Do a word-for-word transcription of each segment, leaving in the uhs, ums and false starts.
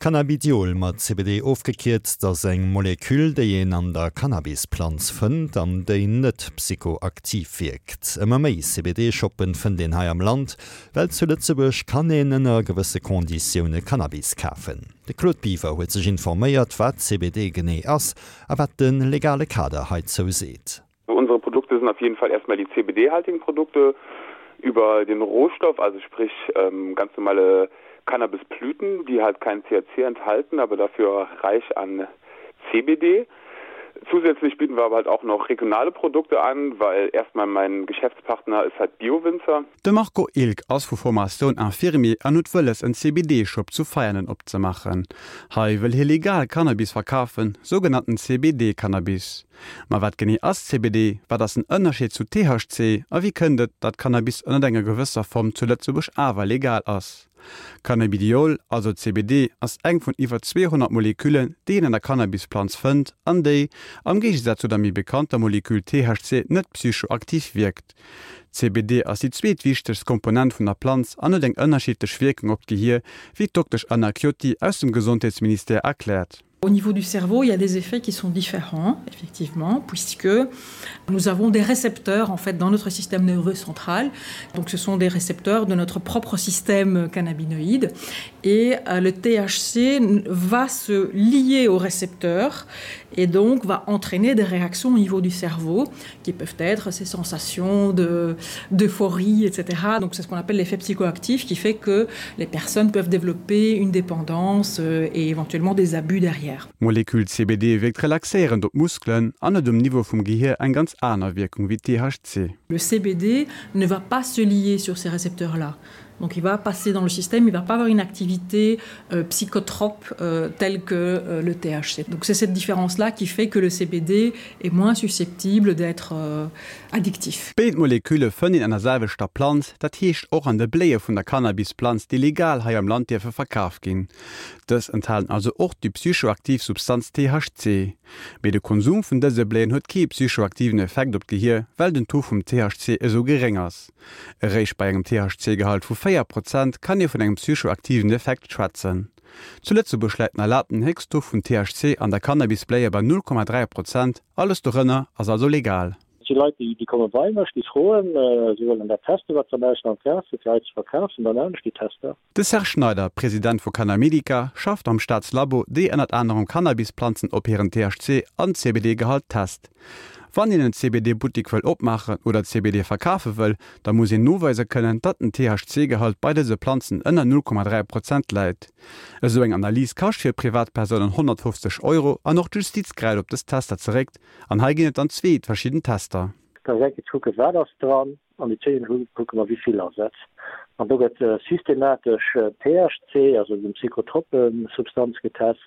Cannabidiol mat C B D ofgekierzt ass eng Moleküll, déi een an der Cannabisplanz fënnt an déi net psychoaktiv wierkt. Ëmmer méi C B D-Shoppen fënnt een hei am Land, well zu Lëtzebuerg kann een ënner gewësse Konditioune Cannabis kafen. De Claude Biver huet sech informéiert, wat C B D genee ass a wat de legale Kader heizou seet. Unsere Produkte sind auf jeden Fall erstmal die C B D-haltigen Produkte über den Rohstoff, also sprich ähm, ganz normale Cannabisblüten, die halt kein T H C enthalten, aber dafür reich an C B D. Zusätzlich bieten wir aber halt auch noch regionale Produkte an, weil erstmal mein Geschäftspartner ist halt Biowinzer. De Marco Ilk ass vu Formatioun Infirmier an huet wëlles en C B D-Shop zu Veianen opzemaachen. Hei wëll hie legal Cannabis verkafen, sougenannten C B D-Cannabis. Ma wat genee ass C B D, wat ass den Ënnerscheed zu T H C a wéi kënnt et, datt Cannabis ënner enger gewësser Form zu Lëtzebuerg awer legal ass? Cannabidiol, also C B D, ass eng vun iwwer zweehonnert Moleküllen, déi een an der Cannabisplanz fënnt an déi, am Géigesaz zu der méi bekannter Moleküll T H C, net psychoaktiv wierkt. C B D ass déi zweetwichtegst Komponent vun der Planz an huet eng ënnerschiddlech Wierkung op d'Gehier, wéi d'Doktesch Anna Chiotti aus dem Gesondheetsministère erkläert. Au niveau du cerveau, il y a des effets qui sont différents, effectivement, puisque nous avons des récepteurs en fait dans notre système nerveux central. Donc ce sont des récepteurs de notre propre système cannabinoïde et euh, le T H C va se lier aux récepteurs et donc va entraîner des réactions au niveau du cerveau qui peuvent être ces sensations de d'euphorie, et cetera. Donc c'est ce qu'on appelle l'effet psychoactif qui fait que les personnes peuvent développer une dépendance euh, et éventuellement des abus derrière. D'Moleküll C B D wierkt relaxéierend op d'Muskelen an huet um Niveau vum Gehier eng ganz aner Wierkung wéi T H C. Le C B D ne va pas se lier sur ces récepteurs là. Donc il va passer dans le système, il va pas avoir une activité euh, psychotrope euh, telle que euh, le T H C. Donc c'est cette différence là qui fait que le C B D est moins susceptible d'être euh, addictif. Béid Molekülle fënnt een an der selwechter Planz, dat heescht och an de Bléie vun der Cannabisplanz, déi legal hei am Land dierfe verkaf ginn. Dës enthalen also och déi psychoaktiv Substanz T H C. Mee de Konsum vun dëse Bléien huet kee psychoaktiven Effekt op d'Gehier, well den Taux vum T H C esou geréng ass. Eréischt bei engem T H C-Gehalt vu véier Prozent kann ee vun engem psychoaktiven Effekt schwätzen. Zu Lëtzebuerg läit den erlaabten Héchsttaux vun T H C an der Cannabisbléie bei null Komma dräi Prozent, alles dorënner ass also legal. Déi Leit, déi, déi komme bei mech, déi froen, äh, si wëllen dat testen, wat se am Ausland kafen, fir hei ze verkafen, dann maachen ech déi Tester. De Serge Schneider, President vu Cannamedica, schafft am Staatslabo, déi ënnert anerem Cannabisplanzen op hiren T H C an C B D-Gehalt test. Wann een en C B D-Buttek wëll opmaachen oder C B D verkafe wëll, da muss een noweise kënnen, datt den T H C-Gehalt bei dëse Planzen ënner null Komma dräi Prozent läit. Esou eng Analys kascht fir Privatpersounen honnertfofzeg Euro an och d'Justiz gräift op dës Tester zeréck an hei ginn et dann zwee verschidden Tester. Da eng Kéier kucke wat ass dran an déi zweet kucke mer wéi vill ass et. An do gëtt äh, systematesch äh, T H C, also déi psychotrope Substanz getest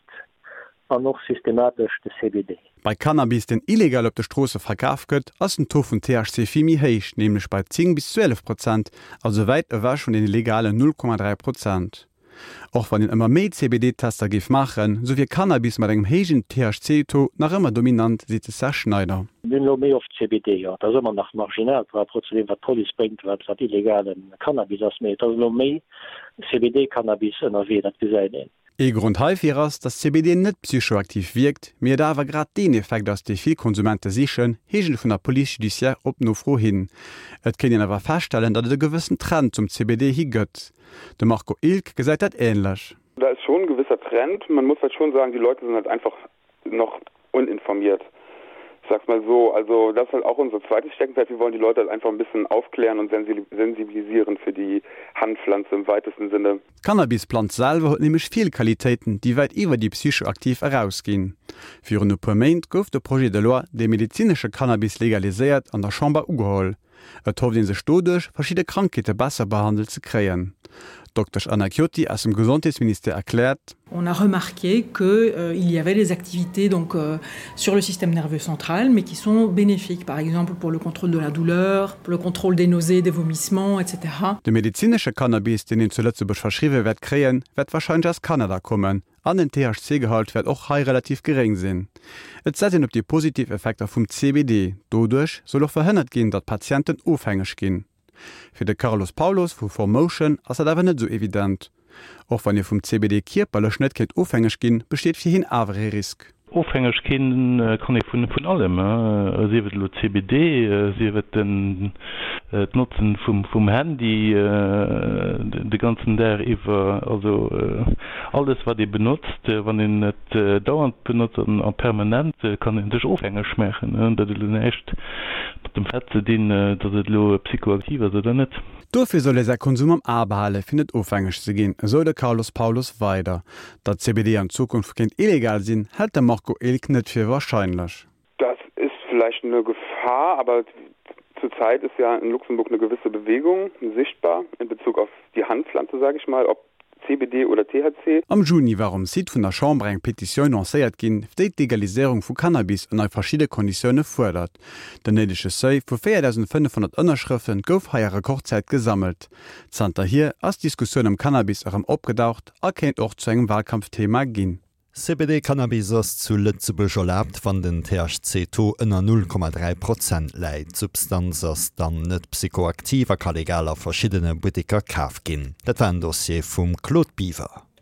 an och systematesch de C B D. Bei Cannabis, deen illegal op de Stroosse verkaf gëtt, ass den Taux vun T H C vill méi héich, nämlech bei zéng bis zwielef Prozent, also wäit ewech vun den legalen null Komma dräi Prozent. Och wann een ëmmer méi C B D-Tester géif maachen, sou wier Cannabis mat engem héijen T H C-Taux nach ëmmer dominant, seet de Serge Schneider. Mir hunn elo méi oft C B D, jo. Dat ass ëmmer nach marginal par rapport zu deem, wat d'Police bréngt, wat, wat illegale Cannabis ass. Mee et ass elo méi C B D-Cannabis ënnerwee, dat gesäit een. Ee Grond heifir ass, datt C B D net psychoaktiv wierkt, mee et awer grad deen Effekt ass, dee vill Konsumente sichen, heescht et vun der Police judiciaire op Nofro hin. Et kéint een awer feststellen, datt et e gewëssen Trend zum C B D hi gëtt. De Marco Ilk gesäit dat änlech. Da ist schon ein gewisser Trend. Man muss halt schon sagen, die Leute sind halt einfach noch uninformiert. Ich sag's mal so, also das ist halt auch unser zweites Steckenpferd. Wir wollen die Leute halt einfach ein bisschen aufklären und sensibilisieren für die Hanfpflanze im weitesten Sinne. D'Cannabisplanz selwer huet nämlech vill Qualitéiten, déi wäit iwwer déi psychoaktiv erausginn. Virun e puer Méint gouf de Projet de loi, dee medezinesche Cannabis legaliséiert, an der Chamber ugeholl. Et hofft ee sech doduerch, verschidde Krankheete besser behandelt ze kréien. Doktesch Anna Chiotti aus dem Gesondheetsministère erkläert: On a remarqué que euh, il y avait des activités donc euh, sur le système nerveux central mais qui sont bénéfiques, par exemple pour le contrôle de la douleur, pour le contrôle des nausées, des vomissements, et cetera. De medezinesche Cannabis, deen een zu Lëtzebuerg verschriwwe wäert kréien, wäert warscheinlech aus Kanada kommen. An den T H C-Gehalt wäert och hei relativ geréng sinn. Et setzt een op déi positiv Effekter vum C B D. Doduerch soll och verhënnert ginn, datt Patienten ofhängeg ginn. Fir de Carlos Paulos vu Formotion ass dat awer net sou evident. Och wann ee vum CBD kierperlech net kéint ofhängeg ginn, besteet fir hien awer ee Risk. Ofhängeg ginn kann ee vun vun allem, sief et elo CBD, sief et den d'Notzen vum vum Handy de ganzen Dag iwwer. Also alles wat ee benotzt, wann een et dauernd benotzt an a permanent, kann ee sech ofhängeg maachen. Dat huet elo näischt mat dem Fait ze dinn, datt et elo psychoaktiv ass oder net. Dofir soll ee säi Konsum am A behale fir net ofhängeg ze ginn, esou de Carlos Paulos weider. Datt CBD an Zukunft kéint illegal sinn, hält de Marco Ilg net fir warscheinlech. Das ist vielleicht eine Gefahr, aber zurzeit ist ja in Luxemburg eine gewisse Bewegung sichtbar in Bezug auf die Hanfpflanze, sage ich mal, ob CBD oder THC. Am Juni war um Site vun der Chamber eng Petitioun lancéiert ginn, déi d'Legaliséierung vu Cannabis ënner verschidde Konditioune fuerdert. Den néidege Seuil vu véierdausendfënnefhonnert Ënnerschrëfte gouf hei a Rekordzäit gesammelt. Zanterhier ass d'Diskussioun ëm Cannabis erëm opgedaucht a kéint och zu engem Walkampfthema ginn. C B D Cannabis ass zu Lëtzebuerg erlaabt, wann den T H C Taux ënner null Komma dräi Prozent läit. D'Substanz ass dann net psychoaktiv a ka legal a verschiddene Butteker kaf ginn. Dat war en Dossier vum Claude Biver.